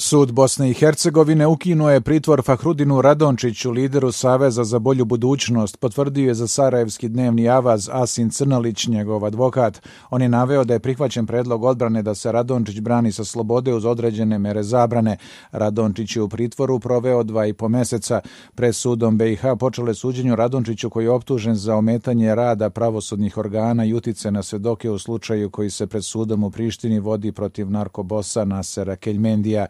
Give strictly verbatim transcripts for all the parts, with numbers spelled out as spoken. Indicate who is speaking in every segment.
Speaker 1: Sud Bosne i Hercegovine ukinuo je pritvor Fahrudinu Radončiću, lideru Saveza za bolju budućnost, potvrdio je za sarajevski dnevni avaz Asin Crnalić, njegov advokat. On je naveo da je prihvaćen predlog odbrane da se Radončić brani sa slobode uz određene mere zabrane. Radončić je u pritvoru proveo dva i po meseca. Pred sudom be i ha počelo je suđenje Radončiću, koji je optužen za ometanje rada pravosudnih organa i utice na svedoke u slučaju koji se pred sudom u Prištini vodi protiv narkobosa Nasera Keljmendija.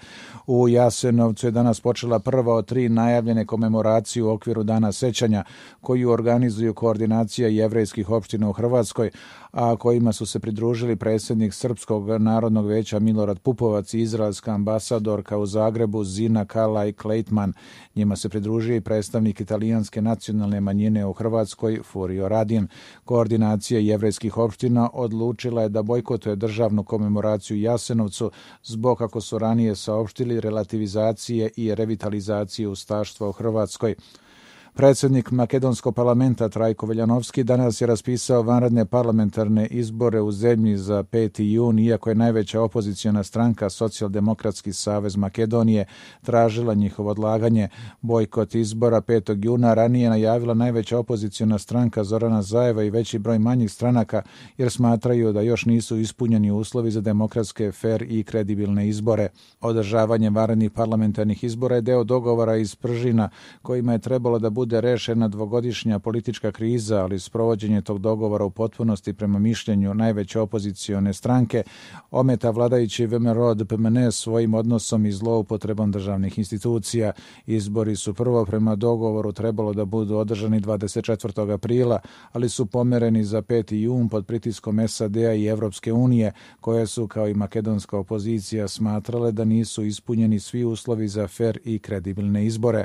Speaker 1: U Jasenovcu je danas počela prva od tri najavljene komemoracije u okviru Dana sećanja, koju organizuju koordinacija jevrejskih opština u Hrvatskoj, a kojima su se pridružili predsjednik Srpskog narodnog veća Milorad Pupovac i izraelska ambasadorka u Zagrebu Zina Kalaj Klejtman. Njima se pridružio i predstavnik italijanske nacionalne manjine u Hrvatskoj Furio Radin. Koordinacija jevrejskih opština odlučila je da bojkotuje državnu komemoraciju u Jasenovcu zbog, kako su ranije saopštili, relativizacije i revitalizacije ustaštva u Hrvatskoj. Predsjednik makedonskog parlamenta Trajko Veljanovski danas je raspisao vanredne parlamentarne izbore u zemlji za peti jun, iako je najveća opoziciona stranka Socijaldemokratski savez Makedonije tražila njihovo odlaganje. Bojkot izbora petog juna ranije najavila najveća opoziciona stranka Zorana Zajeva i veći broj manjih stranaka, jer smatraju da još nisu ispunjeni uslovi za demokratske, fer i kredibilne izbore. Održavanje vanrednih parlamentarnih izbora je deo dogovora iz Pržina, kojima je trebalo da bude rešena dvogodišnja politička kriza, ali sprovođenje tog dogovora u potpunosti, prema mišljenju najveće opozicione stranke, ometa vladajući ve em er o de pe em en e svojim odnosom i zloupotrebom državnih institucija. Izbori su prvo prema dogovoru trebalo da budu održani dvadeset četvrtog aprila, ali su pomereni za peti jun pod pritiskom es a de a i Evropske unije, koje su, kao i makedonska opozicija, smatrale da nisu ispunjeni svi uslovi za fer i kredibilne izbore.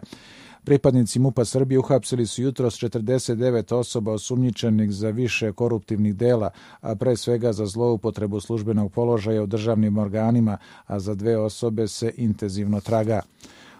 Speaker 1: Pripadnici MUP-a Srbije uhapsili su jutros četrdeset devet osoba osumnjičenih za više koruptivnih dela, a pre svega za zloupotrebu službenog položaja u državnim organima, a za dve osobe se intenzivno traga.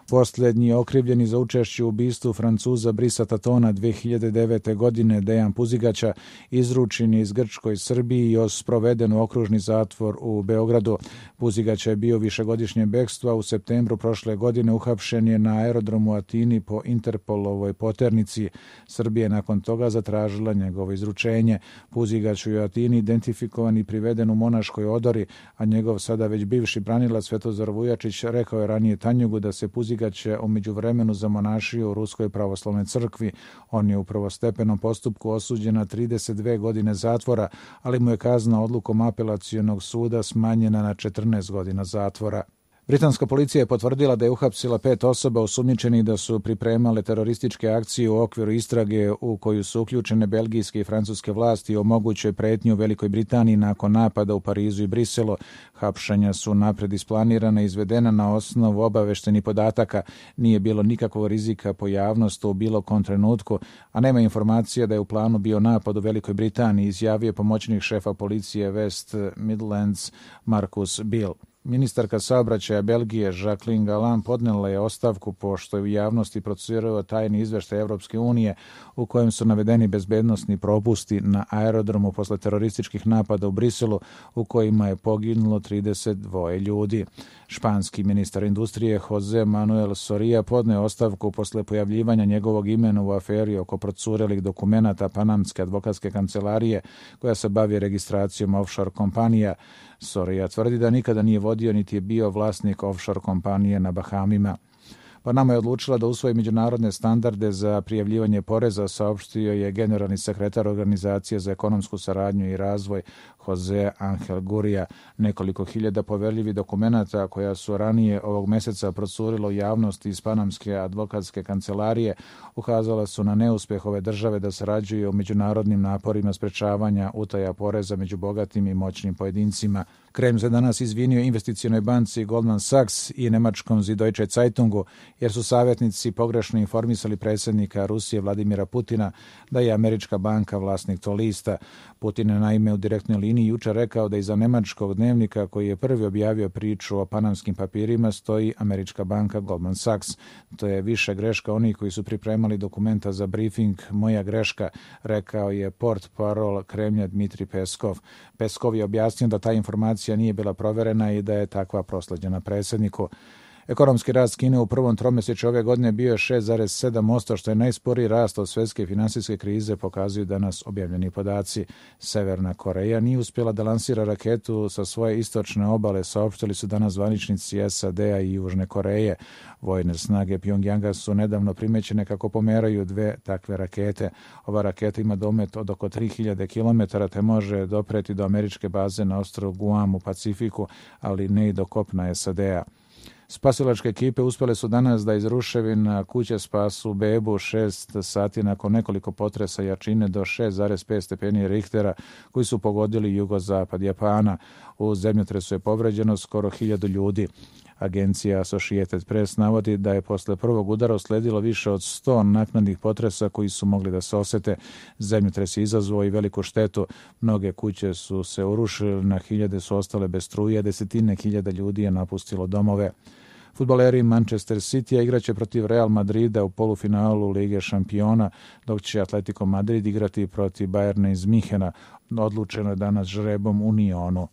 Speaker 1: Posljednji okrivljeni za učešće u ubistvu Francuza Brisa Tatona dve hiljade devete. godine, Dejan Puzigaća, izručen je iz Grčkoj Srbiji i sproveden u okružni zatvor u Beogradu. Puzigaća je bio višegodišnje bekstvo, a u septembru prošle godine uhapšen je na aerodromu u Atini po Interpolovoj poternici. Srbija je nakon toga zatražila njegovo izručenje. Puzigać je u Atini identifikovan i priveden u Monaškoj odori, a njegov sada već bivši branilac Svetozar Vujačić rekao je ranije Tanjugu da se Puzigaća je u međuvremenu zamonašio u Ruskoj pravoslavnoj crkvi. On je u prvostepenom postupku osuđen na trideset dve godine zatvora, ali mu je kazna odlukom apelacionog suda smanjena na četrnaest godina zatvora. Britanska policija je potvrdila da je uhapsila pet osoba osumnjičenih da su pripremale terorističke akcije u okviru istrage u koju su uključene belgijske i francuske vlasti o mogućoj pretnji u Velikoj Britaniji nakon napada u Parizu i Briselu. Hapšenja su napred isplanirana i izvedena na osnovu obaveštenih podataka. Nije bilo nikakvog rizika po javnost u bilo kom trenutku, a nema informacija da je u planu bio napad u Velikoj Britaniji, izjavio pomoćnik šefa policije West Midlands Marcus Bill. Ministarka saobraćaja Belgije Jacqueline Galland podnela je ostavku pošto je u javnosti procurao tajni izveštaj Evropske unije u kojem su navedeni bezbednosni propusti na aerodromu posle terorističkih napada u Briselu u kojima je poginulo trideset dva ljudi. Španski ministar industrije Jose Manuel Soria podneo ostavku posle pojavljivanja njegovog imena u aferi oko procurelih dokumenata Panamske advokatske kancelarije koja se bavi registracijom offshore kompanija. Soria tvrdi da nikada nije vodio niti je bio vlasnik offshore kompanije na Bahamima. Panama je odlučila da usvoji međunarodne standarde za prijavljivanje poreza, saopštio je generalni sekretar Organizacije za ekonomsku saradnju i razvoj Jose Angel Gurria. Nekoliko hiljada poverljivih dokumenata koja su ranije ovog meseca procurilo u javnosti iz Panamske advokatske kancelarije ukazala su na neuspeh ove države da sarađuju u međunarodnim naporima sprečavanja utaja poreza među bogatim i moćnim pojedincima. Krem se danas izvinio investicionoj banci Goldman Sachs i nemačkom Süddeutsche Zeitungu, jer su savjetnici pogrešno informisali predsjednika Rusije Vladimira Putina da je američka banka vlasnik tog lista. Putin je naime u direktnoj liniji jučer rekao da iza nemačkog dnevnika koji je prvi objavio priču o panamskim papirima stoji američka banka Goldman Sachs. To je više greška onih koji su pripremali dokumenta za briefing, moja greška, rekao je portparol Kremlja Dmitri Peskov. Peskov je objasnio da ta informacija nije bila proverena i da je takva prosleđena predsjedniku. Ekonomski rast Kine u prvom tromjesečju ove godine bio je šest zarez sedam posto, što je najsporiji rast od svjetske finansijske krize, pokazuju danas objavljeni podaci. Severna Koreja nije uspjela da lansira raketu sa svoje istočne obale, saopštili su danas zvaničnici S A D-a i Južne Koreje. Vojne snage Pjongjanga su nedavno primećene kako pomeraju dve takve rakete. Ova raketa ima domet od oko tri hiljade kilometara te može dopreti do američke baze na ostrvu Guam u Pacifiku, ali ne i do kopna S A D-a. Spasilačke ekipe uspjele su danas da iz ruševina kuće spasu bebu šest sati nakon nekoliko potresa jačine do šest zarez pet stepeni Richtera koji su pogodili jugozapad Japana. U zemljotresu je povređeno skoro hiljadu ljudi. Agencija Associated Press navodi da je posle prvog udara usledilo više od sto naknadnih potresa koji su mogli da se osete. Zemljotres je izazvao i veliku štetu. Mnoge kuće su se urušile, na hiljade su ostale bez struje, desetine hiljada ljudi je napustilo domove. Fudbaleri Manchester City igraće protiv Real Madrida u polufinalu Lige šampiona, dok će Atletico Madrid igrati protiv Bayerna iz Minhena. Odlučeno je danas žrebom u Nionu.